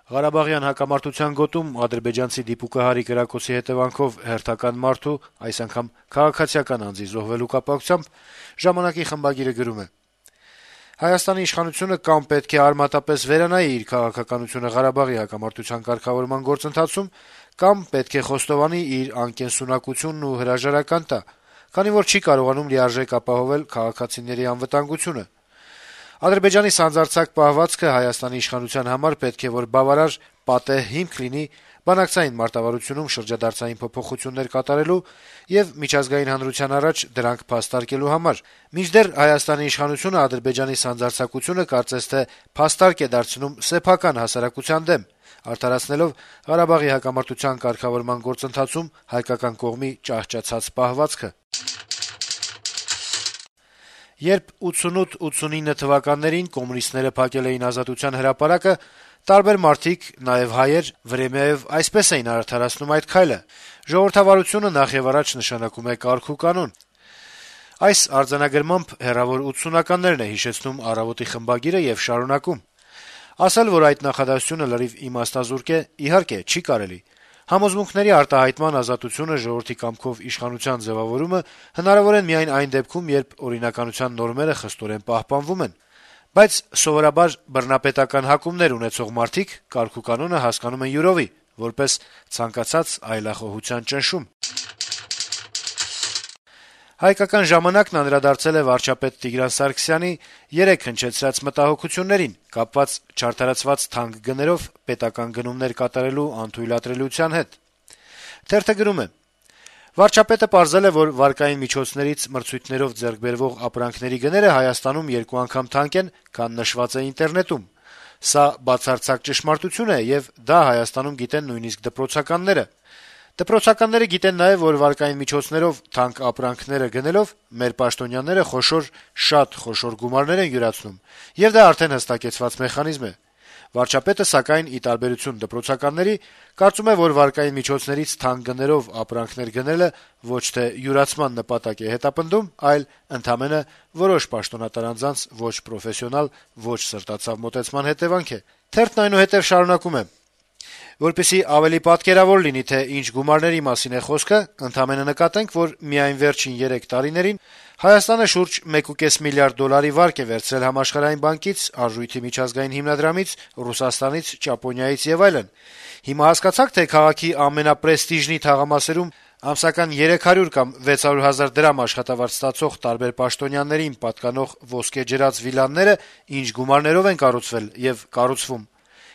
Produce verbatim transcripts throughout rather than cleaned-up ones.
Ղարաբաղյան հակամարտության գոտում ադրբեջանցի դիպուկահարի կրակոցի հետեւանքով հերթական մարդու, այս անգամ քաղաքացիական անձի զոհվելու կապակցությամբ «Ժամանակ»-ի խմբագիրը գրում է. - «Հայաստանի իշխանությունը կամ պետք է արմատապես վերանայի իր քաղաքականությունը Ղարաբաղի հակամարտության կարգավորման գործընթացում, կամ պետք է խոստովանի իր անկենսունակությունն ու հրաժարական տա, քանի որ չի կարողանում լիարժեք ապահովել քաղաքացիների անվտանգությունը։ Ադրբեջանի սանձարձակ պահվածքը Հայաստանի իշխանության համար պետք է որ բավարար պատեհ հիմք լինի բանակցային մարտավարությունում շրջադարձային փոփոխություններ կատարելու եւ միջազգային հանրության առաջ դրանք փաստարկելու համար։ Մինչդեռ Հայաստանի իշխանությունը Ադրբեջանի սանձարձակությունը կարծես թե փաստարկ է դարձնում սեփական հասարակության դեմ, արդարացնելով Ղարաբաղի հակամարտության կարգավորման գործընթացում հայկական կողմի ճահճացած պահվածքը։ Երբ ութսունութ ութսունինը թվականներին կոմունիստները փակել էին Ազատության հրապարակը, տարբեր մարդիկ, նաեւ հայեր, Վրեմեեւ այսպես էին արդարացնում այդ քայլը. «Ժողովրդավարությունը նախեւառաջ նշանակում է կարգ ու կանոն»։ Այս արձանագրմամբ հեռավոր ութսունականներն է հիշեցնում «Առավոտ»-ի խմբագիրը եւ շարունակում. - «Ասել, որ այդ նախադասությունը լրիվ իմաստազուրկ է, իհարկե, չի կարելի։ Համոզմունքների արտահայտման ազատությունը, ժողովրդի կամքով իշխանության ձեւավորումը հնարավոր են միայն այն դեպքում, երբ օրինականության նորմերը խստորեն պահպանվում են։ Բայց սովորաբար բռնապետական հակումներ ունեցող մարդիկ կարգ ու կանոնը հասկանում են յուրովի, որպես ցանկացած այլախոհության ճնշում»։ «Հայկական ժամանակ»-ն անդրադարձել է վարչապետ Տիգրան Սարգսյանի երեկ հնչեցրած մտահոգություններին՝ կապված չարդարացված թանկ գներով պետական գնումներ կատարելու անթույլատրելիության հետ։ Թերթը գրում է. - «Վարչապետը պարզել է, որ վարկային միջոցներից մրցույթներով ձեռք բերվող ապրանքների գները Հայաստանում երկու անգամ թանկ են, քան նշված է ինտերնետում։ Սա բացարձակ ճշմարտություն է, եւ դա Հայաստանում գիտեն նույնիսկ դպրոցականները։ Դպրոցականները գիտեն նաեւ, որ վարկային միջոցներով թանկ ապրանքները գնելով մեր պաշտոնյաները խոշոր, շատ խոշոր գումարներ են յուրացնում, եւ դա արդեն հստակեցված մեխանիզմ է։ Վարչապետը, սակայն, ի տարբերություն դպրոցականների, կարծում է, որ վարկային միջոցներից թանկ գներով ապրանքներ գնելը ոչ թե յուրացման նպատակ է հետապնդում, այլ ընդամենը որոշ պաշտոնատար անձանց ոչ պրոֆեսիոնալ, ոչ սրտացավ մոտեցման հետեւանք է»։ Թերթն այնուհետեւ շարունակում է. - «Որպեսզի ավելի պատկերավոր լինի, թե ինչ գումարների մասին է խոսքը, ընդամենը նկատենք, որ միայն վերջին երեք տարիներին Հայաստանը շուրջ մեկ ու կես միլիարդ դոլարի վարկ է վերցրել Համաշխարհային բանկից, Արժույթի միջազգային հիմնադրամից, Ռուսաստանից, Ճապոնիայից եւ այլն։ Հիմա հասկացա՞ք, թե քաղաքի ամենապրեստիժնի թաղամասերում ամսական երեք հարյուր կամ վեց հարյուր հազար դրամ աշխատավարձ ստացող տարբեր պաշտոնյաներին պատկանող ոսկեջրած վիլաները ինչ գումարներով են կառուցվել եւ կառուցվում։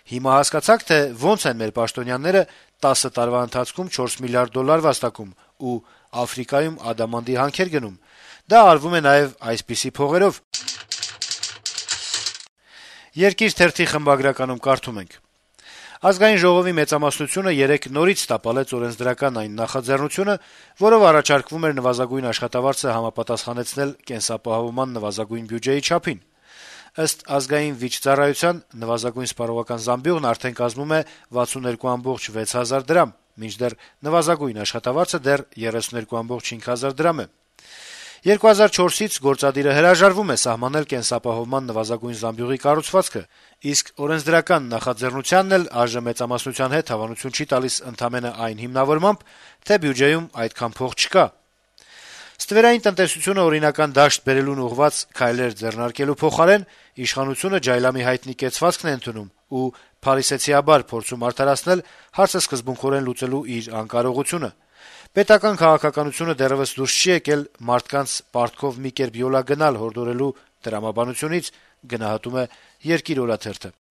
Հիմա հասկացա՞ք, թե ոնց են մեր պաշտոնյաները տասը տարվա ընթացքում չորս միլիարդ դոլար վաստակում ու Աֆրիկայում ադամանդի հանքեր գնում։ Դա արվում է նաեւ այսպիսի փողերով»։ «Երկիր» թերթի խմբագրականում կարդում ենք. - «Ազգային ժողովի մեծամասնությունը երեկ նորից տապալեց օրենսդրական այն նախաձեռնությունը, որով առաջարկվում էր նվազագույն աշխատավարձը համապատասխանեցնել կենսապահովման նվազագույն բյուջեի չափին։ Ըստ Ազգային վիճծառայության նվազագույն սպառողական զամբյուղն արդեն կազմում է վաթսուններկու կoma վեց հազար դրամ, մինչդեռ նվազագույն աշխատավարձը դեռ երեսուններկու կoma հինգ հազար դրամ է։ երկու հազար չորսից գործադիրը հրաժարվում է սահմանել կենսապահովման նվազագույն զամբյուղի կառուցվածքը, իսկ օրենսդրական նախաձեռնությանն էլ այժմ մեծամասնության հետ հավանություն չի տալիս ընդամենը այն հիմնավորմամբ, թե բյուջեում այդքան փող չկա։ Ստվերային տնտեսությունը օրինական դաշտ բերելուն ուղղված քայլեր ձեռնարկելու փոխարեն իշխանությունը ջայլամի հայտնի կեցվածքն է ընդունում ու փարիսեցիաբար փորձում արդարացնել հարցը սկզբունքորեն լուծելու իր անկարողությունը։ Պետական քաղաքականությունը դեռեւս դուրս չի եկել մարդկանց պարտքով մի կերպ յոլա գնալ հորդորելու տրամաբանությունից», գնահատում է «Երկիր» օրաթերթը։